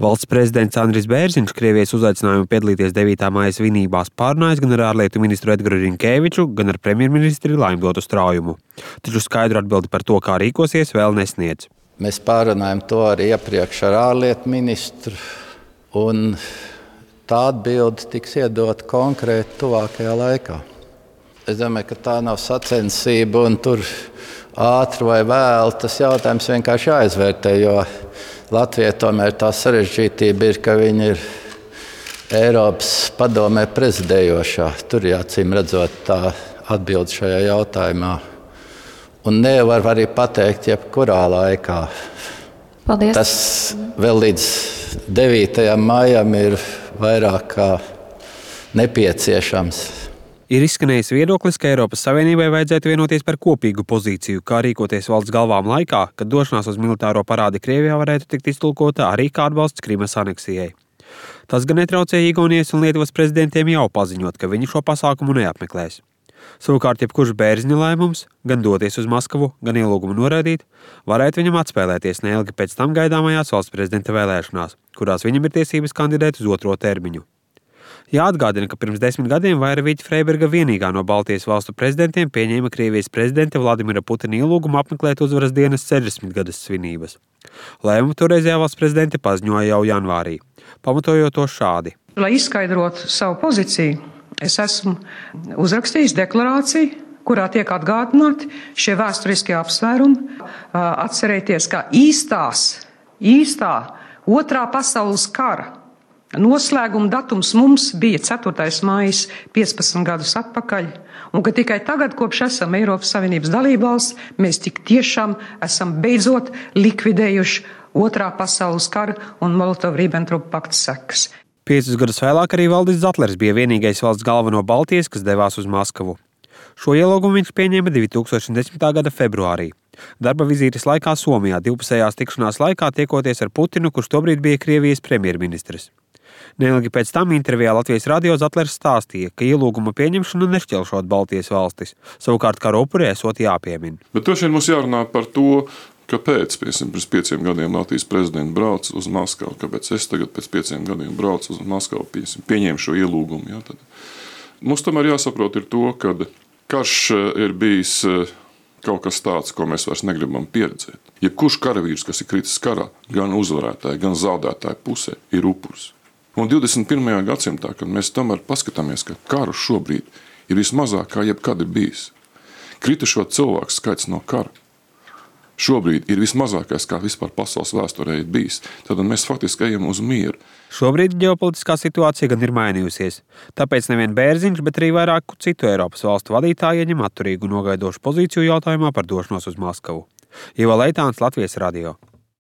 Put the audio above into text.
Valsts prezidents Andris Bērziņš Krievijas uzaicinājumu piedalīties 9. māja svinībās pārunājis gan ar ārlietu ministru Edgaru Rinkēviču, gan ar premjerministri Laimdotu Straujumu. Taču skaidru atbildi par to, kā rīkosies, vēl nesniedz. Mēs pārunājam to arī iepriekš ar ārlietu ministru, un tā atbilde tiks iedota konkrēti tuvākajā laikā. Es domāju, ka tā nav sacensība, un tur ātri vai vēlu tas jautājums vienkārši jāizvērtē, jo Latvijai tomēr tā sarežģītība ir, ka viņi ir Eiropas padomē prezidējošā. Tur jācīm redzot tā atbilde šajā jautājumā. Un nevar arī pateikt jebkurā laikā. Paldies. Tas vēl līdz 9. maijam ir vairāk kā nepieciešams. Ir izskanējis viedoklis, ka Eiropas Savienībai vajadzētu vienoties par kopīgu pozīciju, kā rīkoties valsts galvām laikā, kad došanās uz militāro parādi Krievijā varētu tikt iztulkota arī kā atbalsts Krimas aneksijai. Tas gan netraucēja Igaunijas un Lietuvas prezidentiem jau paziņot, ka viņi šo pasākumu neapmeklēs. Savukārt, jebkurš Bērziņa lēmums, gan doties uz Maskavu, gan ielūgumu noraidīt, varētu viņam atspēlēties neilgi pēc tam gaidāmajās valsts prezidenta vēlēšanās, kurās viņam ir tiesības kandidēt uz 2. termiņu. Jāatgādina, ka pirms 10 gadiem Vaira Freiberga vienīgā no Baltijas valstu prezidentiem pieņēma Krievijas prezidenta Vladimira Putina ielūgumu apmeklēt uzvaras dienas 60 gadas svinības. Lēmumu toreizējā valsts prezidente paziņoja jau janvārī, pamatojot to šādi. Lai izskaidrotu savu pozīciju, es esmu uzrakstījis deklarāciju, kurā tiek atgādināti šie vēsturiskie apsvērumi. Atcerēties, ka īstā Otrā pasaules kara noslēguma datums mums bija 4. maijs 15 gadus atpakaļ, un ka tikai tagad, kopš esam Eiropas Savienības dalībvalsts, mēs tik tiešām esam beidzot likvidējuši Otrā pasaules kara un Molotov-Ribbentrop pakta sekas. 5 gadus vēlāk arī Valdis Zatlers bija vienīgais valsts galva no Baltijas, kas devās uz Maskavu. Šo ielūgumu viņš pieņēma 2010. gada februārī. Darba vizītes laikā Somijā divpusējās tikšanās laikā tiekoties ar Putinu, kurš tobrīd bija Krievijas premjerministrs. Neilgi pēc tam intervijā Latvijas radio Zatlers stāstīja, ka ielūguma pieņemšanu nešķelšot Baltijas valstis, savukārt kara upuri esot jāpiemina. Bet šodien mums jārunā par to, kāpēc pirms 5 gadiem Latvijas prezidents brauc uz Maskavu, kāpēc es tagad pēc 5 gadiem braucu uz Maskavu, pieņēmu šo ielūgumu. Ja, mums tomēr jāsaprot ir to, ka karš ir bijis kaut kas tāds, ko mēs vairs negribam pieredzēt. Jebkurš karavīrs, kas ir kritis karā, gan uzvarētāji, gan zaudētāji pusē, ir upuris. Un 21. gadsimtā, kad mēs tomēr paskatāmies, ka karu šobrīd ir vismazāk kā jebkad ir bijis. Kritušo cilvēku skaits no kara šobrīd ir vismazākais, kā vispār pasaules vēsturē ir bijis. Tad mēs faktiski ejam uz mieru. Šobrīd ģeopolitiskā situācija gan ir mainījusies. Tāpēc nevien Bērziņš, bet arī vairāku citu Eiropas valstu vadītāji ieņem atturīgu nogaidošu pozīciju jautājumā par došanos uz Maskavu. Ivo Leitāns, Latvijas radio.